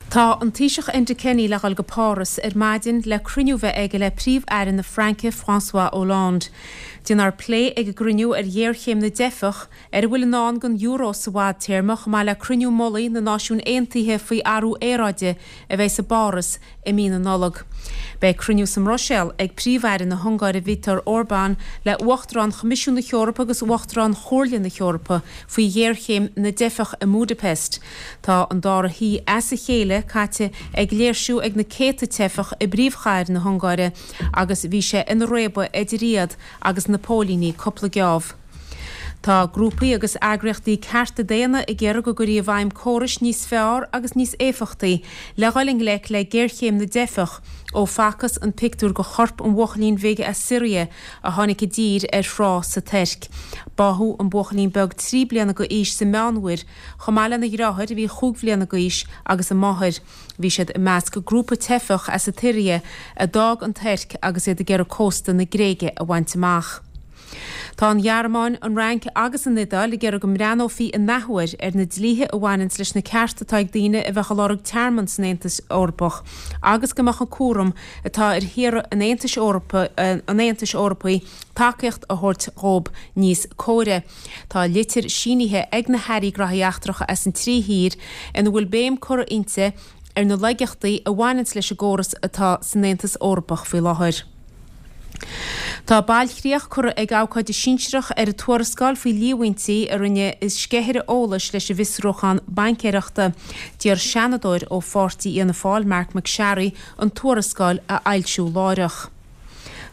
Tá an Taoiseach Enda Kenny le dhul go Páras ar maidin le cruinniú bheith aige le Príomh-Aire na Fraince François Hollande. Déanfar plé ag an gcruinniú ar ghéarchéim na dteifeach, ar a bhfuil i ndán don euro sa bhfadtéarma chomh maith le cruinniú mullaigh na Náisiún Aontaithe faoi athrú aeráide a bheidh i bPáras i mí na Nollag. Beidh cruinniú sa mBruiséil ag Príomh-Aire na hUngáire Viktor Orbán le Uachtarán Choimisiún na hEorpa agus Uachtarán Chomhairle na hEorpa faoi ghéarchéim na dteifeach i mBudapest. Tá an dara hoíche as a chéile caite ag léirsiú ag na céadta teifeach i bpríomhchathair na hUngáire agus bhí sé ina réabadh idir iad agus na póilíní cúpla geábh. Tá grúpaí agus eagraíochtaí cearta daonna ag iarraidh go gcuirfí i bhfeidhm córais níos fearr agus níos éifeachtaí le dhul i ngleic le géarchéim na dteifeach ó facthas an pictiúr de chorp an bhuachaillín bhig as Siria a tháinig i dtír ar thrá sa Tuirc. Báthadh an buachaillín beag 3 bliana d'aois sa Meánmhuir chomh maith lena dheartháir a bhí chúig bhliana d'aois agus a máthair. Bhí siad i measc grúpa teifeach as an tSiria a d'fhág an Tuirc agus iad ag iarraidh cósta na Gréige a bhaint amach. Tá an Ghearmáin, an Fhrainc agus an Iodáil ag iarraidh go mbreathnófaí in athuair ar na dlíthe a bhaineanns leis na cearta atá ag daoine a bheadh ag lorg tearmann san Aontas Eorpach agus go mbeadh an cúram atá ar thíortha an Aontais an Aontais Eorpaigh tacaíocht a thabhairt dhóibh níos córa. Tá litir sínithe ag na hairí Graithí Eachtracha as an trí thír ina bhfuil béim curtha inti ar na laigeachtaí a bhaineanns leis an gcóras atá san Aontas Eorpach faoi láthair. Tá bailchríoch curtha ag abhcóide sinsearach ar an tuarascáil faoi líomhaintí a rinne sceithire eolais leis an bhfiosrúchán baincéireachta. D'iarr seanadóir ó pháirtí Fhianna Fáil, Marc MacSharry, an tuarascáil a fhoilsiú láithreach.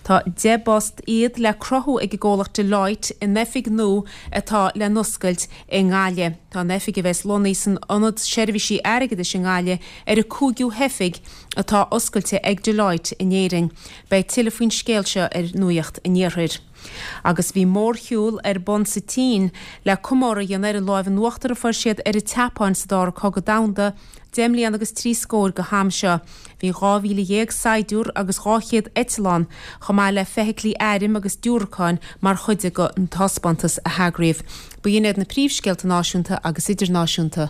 Tá 10 bpost iad le cruthú ag an gcomhlacht Deloitte in oifig nua atá le n-oscailt i nGaillimh. Tá an oifig a bheas lonnaithe san Ionad Seirbhísí Airgeadais i nGaillimh ar an cúigiú hoifig atá oscailte ag Deloitte in Éirinn. Beidh tuilleadh faoin scéal seo ar Nuacht an Iarthair. Agus bhí mórshiúl ar bun sa tSín le comóradh a dhéanamh ar an láimh in uachtar a fuair siad ar an tSeapáin sa Dara Cogadh Domhanda, 10 mbliana agus 30 scór go ham seo. Bhí 12,000 saighdiúr agus 200 eitleán, chomh maith le feithiclí airm agus diúracáin mar chuid den taispeántas a heagraíodh. B'in iad na príomhscéalta náisiúnta agus idirnáisiúnta.